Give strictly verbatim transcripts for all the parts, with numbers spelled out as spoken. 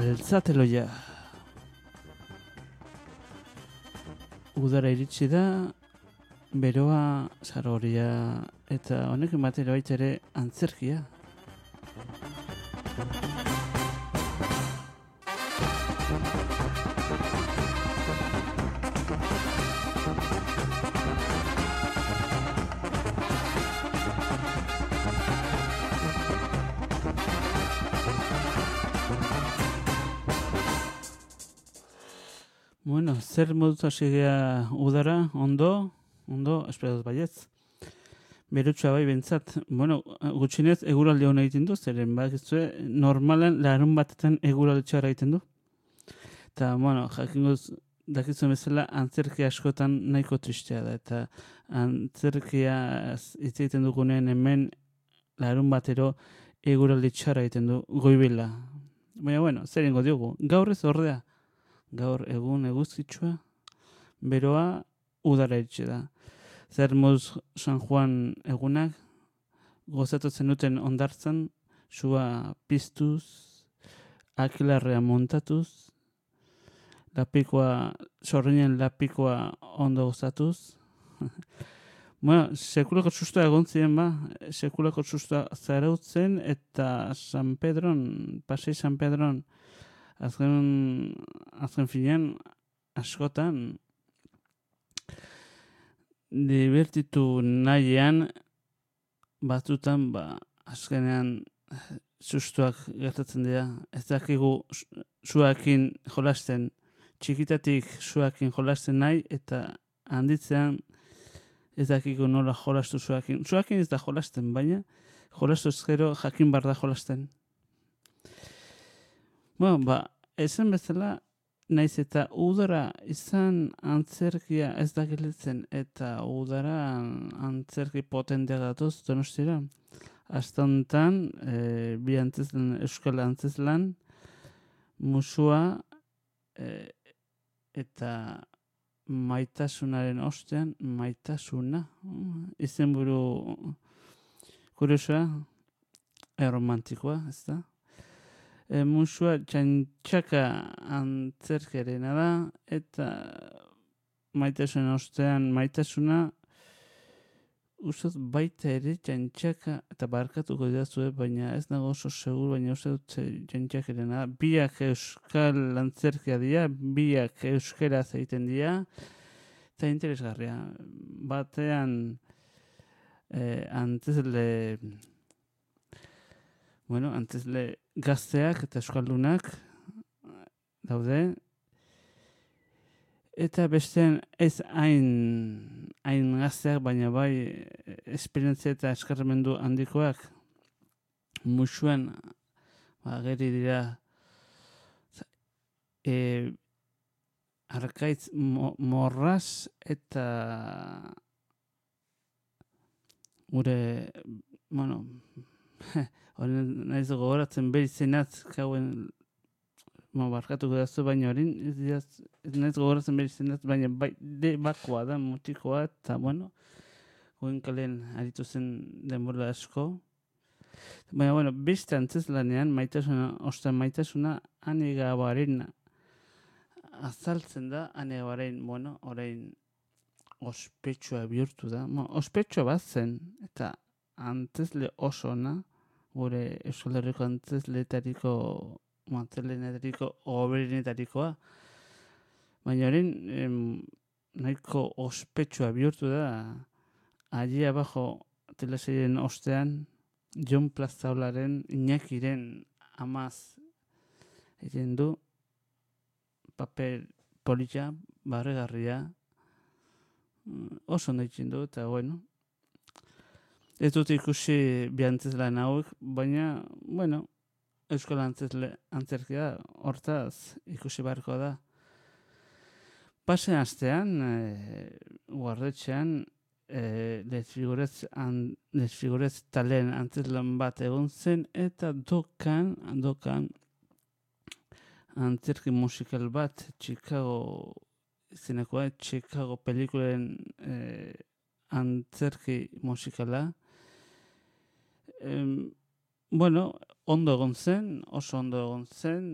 Altzateloia. Udara iritsi da, beroa, zaroria, eta honekin batera baita ere antzerkia. Bueno, zer moduz hasi gea udara, ondo, ondo, espero dut baietz. Berutxua bai bentsat. Bueno, gutxinez eguraldi hona egiten du, zeren bakizue normalan larun batetan eguraldi txarra egiten du. Eta, bueno, jakinguz dakizuen bezala antzerki askotan nahiko tristea da. Eta antzerkia hitz egiten dugunean hemen larun batero eguraldi txarra egiten du goibela. Baina, bueno, zer ingo diogu. Gaur ez ordea. Gaur egun eguzkitsua, beroa udara iritsi da. Zer moduz San Juan egunak, gozatu zenuten ondartzan, sua piztuz, akilarrea montatuz, lapikoa, sorrinen lapikoa ondo gozatuz. Bueno, sekulako sustua egon ziren ba, sekulako sustua zarautzen eta San Pedron, Pasei San Pedron, Azken, azken finean, askotan, divertitu nahian, batzutan, ba, azkenean, sustuak gertatzen dira. Ez dakigu suakin jolasten, txikitatik suakin jolasten nahi, eta handitzean, ez dakigu nola jolastu suakin. Suakin ez da jolasten, baina, jolastu ezkero jakin bar da jolasten. Bueno, ba, esan bezala, naiz eta udara izan antzerkia ez da gelitzen eta udara antzerki potentea datoz Donostira. Astontan, e, bi antzeslan, euskal antzeslan, musua e, eta maitasunaren ostean, maitasuna. Izenburu kuriosoa, erromantikoa, ez da? E, musua txantxaka antzerkerena da, eta maitasunen ostean maitasuna uste baita ere txantxaka, eta barkatuko didazue, baina ez nago oso segur, baina uste dut txantxakerena da. Biak euskal antzerkia dira, biak euskeraz egiten dira, eta interesgarria. Batean e, antzesle... Bueno, antzesle gazteak eta euskaldunak daude. Eta bestean ez hain, hain gazteak, baina bai esperientzia eta eskarmendu handikoak musuan ageri dira e, arkaitz mo, morraz eta gure, bueno, horren nahiz gogoratzen behi zenat, kauen, ma barkatuko dazu, baina horren, ez nahiz gogoratzen behi zenat, baina bai, de bakoa da, mutikoa, eta bueno, goen kalen aritu zen denbora asko. Baina, bueno, beste antzeslanean, maitasuna, ostan maitasuna, anegabaren azaltzen da, anegabaren, bueno, orain ospetsua bihurtu da. Bueno, ospetsua bat zen, eta antzesle oso ona, gure Euskal Herriko antzesleetariko, antzesleetariko oberenetarikoa. Baina horren, nahiko ospetsua bihurtu da, allí abajo teleseien ostean, Jon Plazaolaren, Iñakiren amaz egin du, paper polita, barregarria, oso ondo egin du, eta bueno, ez dut ikusi bi antzeslan hauek, baina, bueno, euskal antzesle antzerkia hortaz ikusi beharko da. Pasen astean, e, guardetxean, e, desfigurez, an, desfigurez talen antzeslan bat egon zen, eta dokan, dokan, antzerki musikal bat, Chicago, izenekoa, Chicago pelikulen e, antzerki musikala, Em, bueno, ondo egon zen, oso ondo egon zen,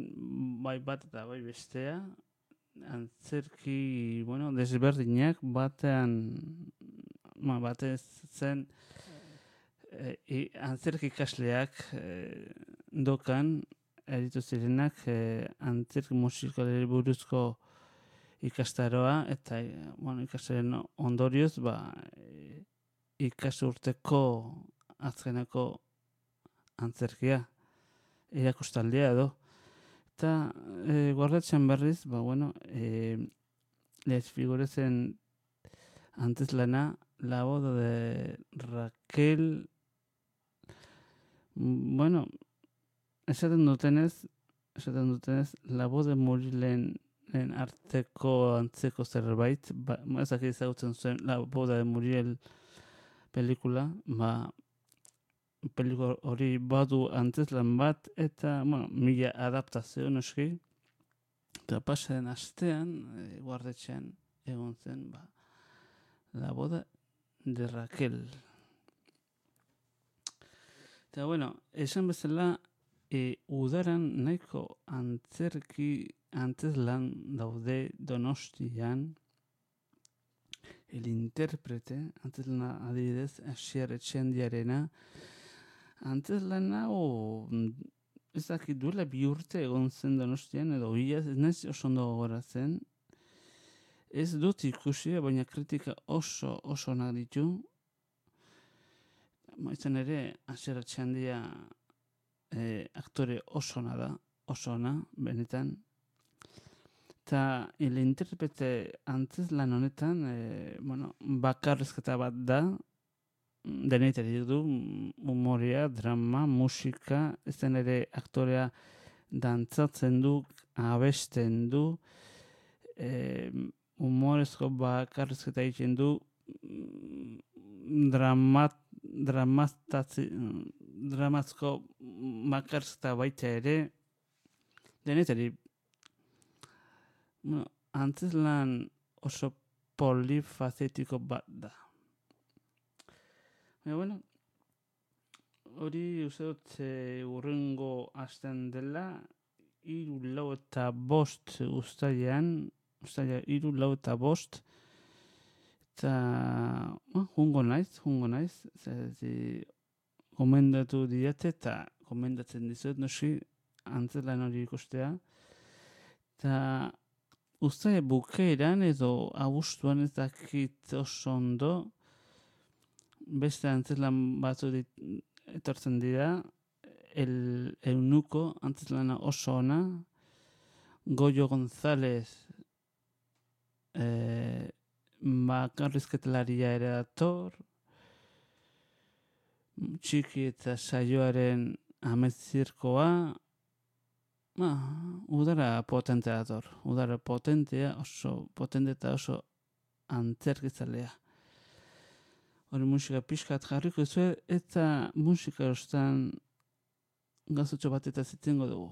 bai bat eta bai bestea, antzerki, bueno, desberdinak, batean, ma, batez zen, e, i, antzerki ikasleak e, dokan, eritu zirenak, e, antzerki musikalari buruzko ikastaroa, eta, e, bueno, ikastaren ondorioz, ba, e, ikasturteko azkeneko antzerkia, erakustaldia edo. Eta e, gordetzen berriz, ba, bueno, e, les figurezen antes lana, la boda de Raquel, mm, bueno, esaten dutenez, esaten dutenez, la boda de Murilen en arteko antzeko zerbait, ba, ezak ezagutzen zuen la boda de Muriel pelikula, ba, pelikula hori badu antzeslan bat, eta, bueno, mila adaptazio noski, eta pasaren astean, e, guardetxean, egon zen, ba, la boda de Raquel. Eta, bueno, esan bezala, e, udaran nahiko antzerki antzeslan daude Donostian, el interprete, antzeslan adibidez, Asier Etxendiarena, antzeslan hau, ez dakit duela bi urte egon zen Donostian, edo hilaz, ez nahiz oso ondo gogoratzen. Ez dut ikusi, baina kritika oso oso onak ditu. Maitzen ere, Asier Etxendia e, aktore oso ona da, oso ona, benetan. Eta el interprete antzeslan honetan, e, bueno, bakarrizketa bat da, denetari du, umorea, drama, musika, ezen ere aktorea dantzatzen du, abesten du, e, humorezko bakarrizketa egiten du, dramat, dramaztatzi, dramazko bakarrizketa baita ere, denetari, bueno, antzeslan oso polifazetiko bat da. Baina, bueno, hori uste dut e, urrengo astean dela, hiru lau eta bost ustailean, ustaila hiru lau eta bost, eta bueno, jungo naiz, jungo naiz, zerati gomendatu diate eta gomendatzen dizuet, noski, antzeslan hori ikustea, eta ustaila bukeeran edo abuztuan ez dakit oso ondo, beste antzeslan batzu dit, etortzen dira, el eunuko antzeslana oso ona, Goyo González eh, bakarrizketelaria ere dator, txiki eta saioaren ametzirkoa, ah, udara potentea dator, udara potentea, oso potente eta oso antzerkizalea. Hori musika pixkat jarriko zuen, eta musika erostan gazutxo bat eta zitengo dugu.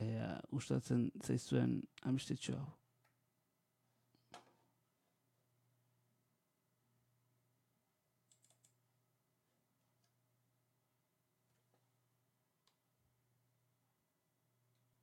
Ea, gustatzen zaizuen amistetxo hau.